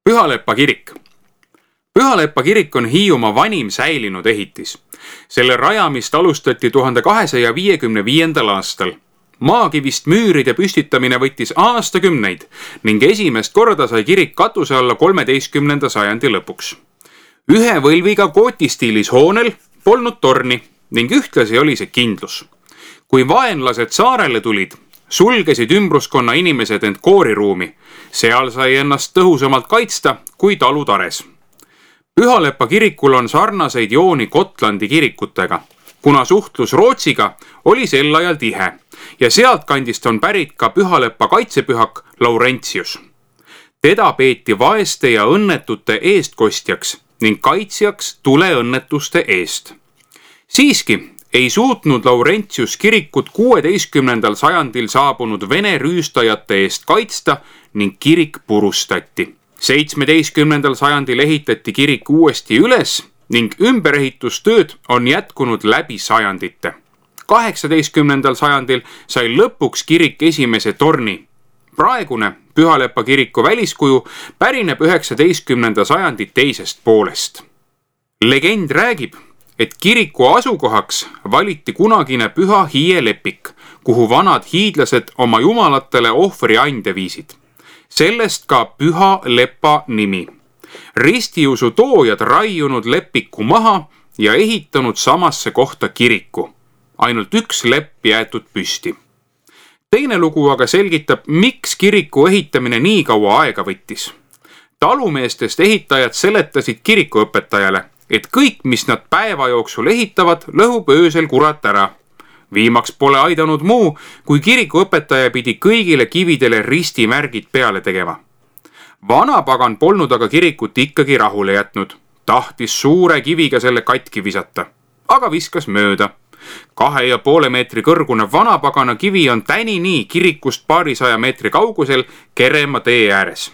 Pühalepa kirik. Pühalepa kirik on Hiiumaa vanim säilinud ehitis. Selle rajamist alustati 1255. aastal. Maakivist müüride püstitamine võttis aastakümneid ning esimest korda sai kirik katuse alla 13. sajandi lõpuks. Ühe võlviga gootistiilis hoonel polnud torni ning ühtlasi oli see kindlus. Kui vaenlased saarele tulid, sulgesid ümbruskonna inimesed end kooriruumi. Seal sai ennast tõhusamalt kaitsta kui talutares. Pühalepa kirikul on sarnaseid jooni Gotlandi kirikutega, kuna suhtlus Rootsiga oli sel ajal tihe ja sealt kandist on pärit ka Pühalepa kaitsepühak Laurentius. Teda peeti vaeste ja õnnetute eestkostjaks ning kaitsjaks tuleõnnetuste eest. Siiski ei suutnud Laurentius kirikut 16. sajandil saabunud Vene rüüstajate eest kaitsta ning kirik purustati. 17. sajandil ehitati kirik uuesti üles ning ümberehitustööd on jätkunud läbi sajandite. 18. sajandil sai lõpuks kirik esimese torni. Praegune Pühalepa kiriku väliskuju pärineb 19. sajandi teisest poolest. Legend räägib, et kiriku asukohaks valiti kunagine Püha Hiie lepik, kuhu vanad hiidlased oma jumalatele ohvriande viisid. Sellest ka Pühalepa nimi. Ristiusu toojad raiunud lepiku maha ja ehitanud samasse kohta kiriku. Ainult üks lepp jäetud püsti. Teine lugu aga selgitab, miks kiriku ehitamine nii kaua aega võttis. Talumeestest ehitajad seletasid kirikuõpetajale, et kõik, mis nad päeva jooksul ehitavad, lõhub öösel kurat ära. Viimaks pole aidanud muu, kui kirikuõpetaja pidi kõigile kividele ristimärgid peale tegema. Vanapagan polnud aga kirikut ikkagi rahule jätnud. Tahtis suure kiviga selle katki visata, aga viskas mööda. 2,5 meetri kõrgune vanapagana kivi on tänini kirikust paarisaja meetri kaugusel Kerema tee ääres.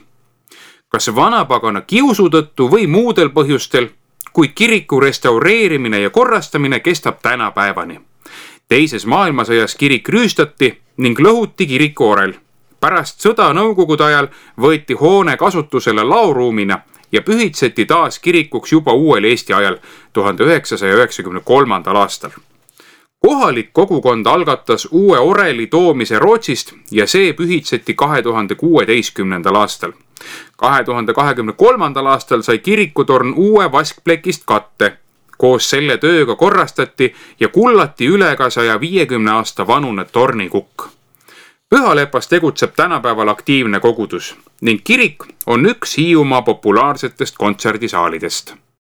Kas vanapagana kiusu tõttu või muudel põhjustel, kuid kiriku restaureerimine ja korrastamine kestab tänapäevani. Teises maailmasõjas kirik rüüstati ning lõhuti kiriku orel. Pärast sõda nõukogude ajal võeti hoone kasutusele laoruumina ja pühitseti taas kirikuks juba uuel Eesti ajal 1993. aastal. Kohalik kogukond algatas uue oreli toomise Rootsist ja see pühitseti 2016. aastal. 2023. aastal sai kirikutorn uue vaskplekist katte. Koos selle tööga korrastati ja kullati üle ka 150 aasta vanune tornikukk. Pühalepas tegutseb tänapäeval aktiivne kogudus ning kirik on üks Hiiumaa populaarsetest kontserdisaalidest.